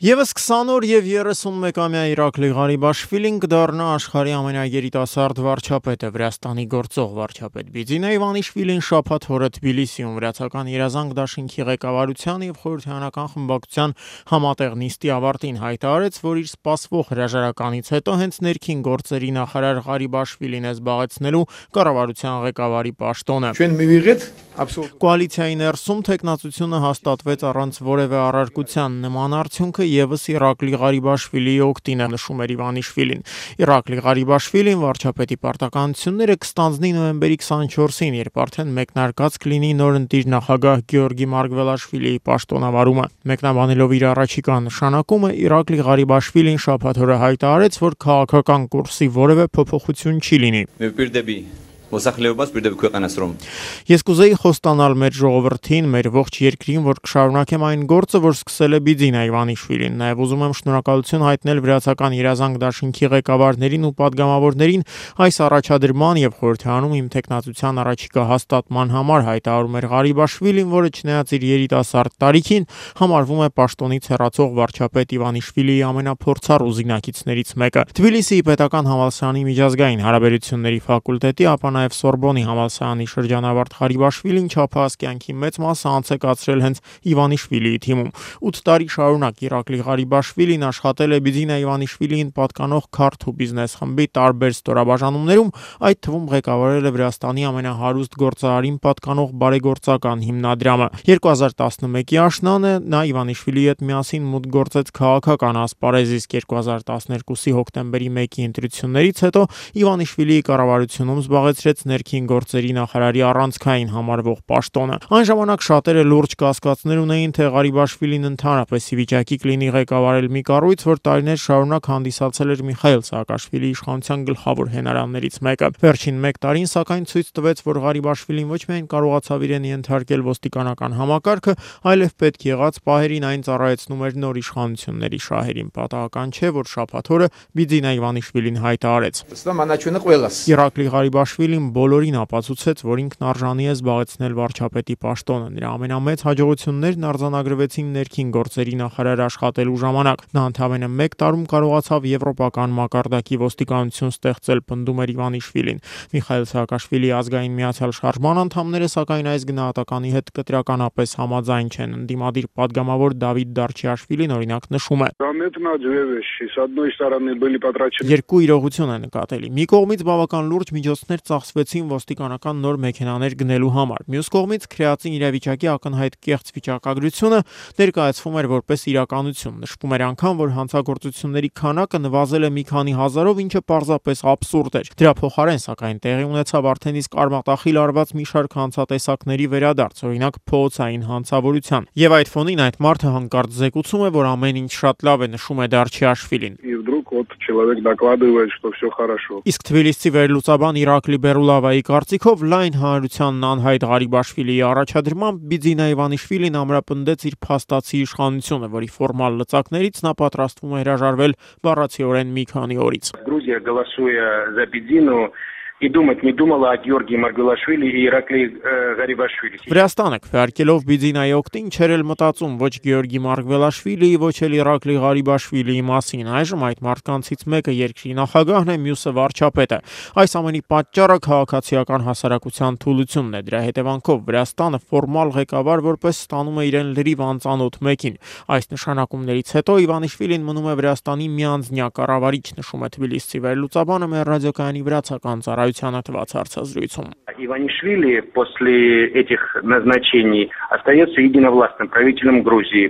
Եվս 20 օր եւ 31-ամյա Իրակլի Ղարիբաշվիլին կդառնա աշխարհի ամենագերիտասարդ վարչապետը, Վրաստանի գործող վարչապետ Բիձինա Իվանիշվիլին շաբաթ օրը Թբիլիսիում Վրացական երազանք դաշինքի ղեկավարության եւ խորհրդարանական խմբակցության համատեղ նիստի ավարտին հայտարարեց, որ իր սպասվող հրաժարականից հետո հենց ներքին գործերի նախարար Ղարիբաշվիլին է զբաղեցնելու կառավարության ղեկավարի պաշտոնը։ Կոալիցիայի ներսում տեխնացությունը հաստատվեց առանց որևէ առարկության, նման արդյունքը եւս Իրակլի Ղարիբաշվիլիի օգտին է, նշում էր Իվանիշվիլին։ Իրակլի Ղարիբաշվիլին վարչապետի պարտականությունները կստանձնի նոյեմբերի 24-ին, երբ արդեն մեկնարկած կլինի նոր ընտիր նախագահ Գեորգի Մարգվելաշվիլիի պաշտոնավարումը։ Մեկնաբանելով իր առաջիկա նշանակումը, Իրակլի Ղարիբաշվիլին շաբաթ օրը հայտարարեց, որ քաղաքական կուրսի որևէ փոփոխություն չի լինի։ Ես կուզեի խոստանալ մեր ժողովրդին, մեր ողջ երկրին, որ կշարունակեմ այն գործը, որ սկսել է Բիձինա Իվանիշվիլին։ Նաև ուզում եմ շնորհակալություն հայտնել Վրացական երազանք դաշինքի ղեկավարներին ու падգամավորներին այս առաջադրման եւ խորհրդարանում իմ տեխնացության առաջիկա հաստատման համար, հայտարարում էր Ղարիբաշվիլին, որը չնայած իր երիտասարդ տարիքին համարվում է պաշտոնից հեռացող վարչապետ Իվանիշվիլիի ամենափորձառու զինակիցներից մեկը։ Թբիլիսիի պետական համալսարանի միջազգային հարաբերությունների ֆակուլտետի, ապա նաև Սորբոնի համալսարանի շրջանավարտ Ղարիբաշվիլին չափահաս կյանքի մեծ մասը անց է կացրել հենց Իվանիշվիլիի թիմում։ 8 տարի շարունակ Իրակլի Ղարիբաշվիլին աշխատել է Բիձինա Իվանիշվիլիին պատկանող քարտ ու բիզնես խմբի տարբեր ստորաբաժանումներում, այդ թվում ղեկավարել է Վրաստանի ամենահարուստ գործարարին պատկանող բարեգործական հիմնադրամը։ 2011-ի աշնանը նա Իվանիշվիլիի հետ միասին մուտք գործեց քաղաքական ասպարեզ, իսկ 2012-ի հոկտեմբերի 1-ի ընտրություններից հետո Իվանիշվիլիի կառավարությունում զբաղեցրեց ներքին գործերի նախարարի առանցքային համարվող պաշտոնը։ Այն ժամանակ շատերը լուրջ կասկածներ ունեին, թե Ղարիբաշվիլին ընդհանրապես ի վիճակի կլինի ղեկավարել մի կառույց, որ տարիներ շարունակ հանդիսացել էր Միխայիլ Սաակաշվիլիի իշխանության գլխավոր հենարաններից մեկը։ Վերջին 1 տարին, սակայն, ցույց տվեց, որ Ղարիբաշվիլին ոչ միայն կարողացավ իրեն ենթարկել ոստիկանական համակարգը, այլև պետք եղած պահերին այն ծառայեցնում էր նոր իշխանությունների շահերին։ Պատահական չէ, որ շաբաթ օրը Բիձինա Իվանիշվիլին հայտարարեց. Իրակլի Ղարիբաշվիլին բոլորին ապացուցեց, որ ինքն արժանի է զբաղեցնել վարչապետի պաշտոնը։ Նրա ամենամեծ հաջողություններն արձանագրվեցին ներքին գործերի նախարար աշխատելու ժամանակ։ Նա ընդամենը 1 տարում կարողացավ եվրոպական մակարդակի ոստիկանություն ստեղծել, պնդում էր Իվանիշվիլին։ Միխայիլ Սաակաշվիլիի ազգային միացյալ շարժման անդամները, սակայն, այս գնահատականի հետ կտրականապես համաձայն չեն։ Ընդդիմադիր падգամավոր Դավիթ Դարչիաշվիլին, օրինակ, նշում է. Երկու իրողություն է նկատելի։ Մի կողմից բավական լուրջ միջոցներ ծախսվեցին ոստիկանական նոր մեքենաներ գնելու համար։ Մյուս կողմից քրեածին իրավիճակի ակնհայտ կեղծ վիճակագրությունը ներկայացվում էր որպես իրականություն։ Նշվում էր անգամ, որ հանցագործությունների քանակը նվազել է մի քանի հազարով, ինչը պարզապես աբսուրդ էր։ Դրա փոխարեն, սակայն, տեղի ունեցավ արդեն իսկ արմատախիլ արված մի շարք հանցատեսակների վերադարձ, օրինակ փողոցային հանցավորության։ Եվ այդ ֆոնին այդ մարդը հանկարծ զեկուցում է, որ ամեն ինչ շատ լավ է, նշում է Դարչիաշվիլին։ Իսկ թբիլիսցի վերլուծաբան Իրակլի Բերուլավայի կարծիքով, լայն հանրությանն անհայտ Ղարիբաշվիլիի առաջադրմամբ Բիձինա Իվանիշվիլին ամրապնդեց իր փաստացի իշխանությունը, որի ֆորմալ լծակներից նա պատրաստվում է հրաժարվել բառացիորեն մի քանի օրից։ И думать не думала о Георгии Маргвелашвили и Иракли Ղարիբաշվիլի։ Վրաստանը քվեարկելով Բիձինայի օգտին չէր էլ մտածում ոչ Գեորգի Մարգվելաշվիլիի, ոչ էլ Իրակլի Ղարիբաշվիլիի մասին։ Այժմ այդ մարդկանցից մեկը երկրի նախագահն է, մյուսը վարչապետը։ Այս ամենի պատճառը քաղաքացիական հասարակության թուլությունն է։ Դրա հետևանքով Վրաստանը ֆորմալ ղեկավար որպես ստանում է իրեն լրիվ անծանոթ մեկին։ Այս նշանակումներից հետո Իվանիշվիլին մնում է Վրաստանի միանձնյա կառավարիչ, նշում է Թբիլիսի վերլուծաբանը մեր ռադիոկայանի վրացական ծառայությանը տված հարցազրույցում։ Иванишвили после этих назначений остается единовластным правителем Грузии.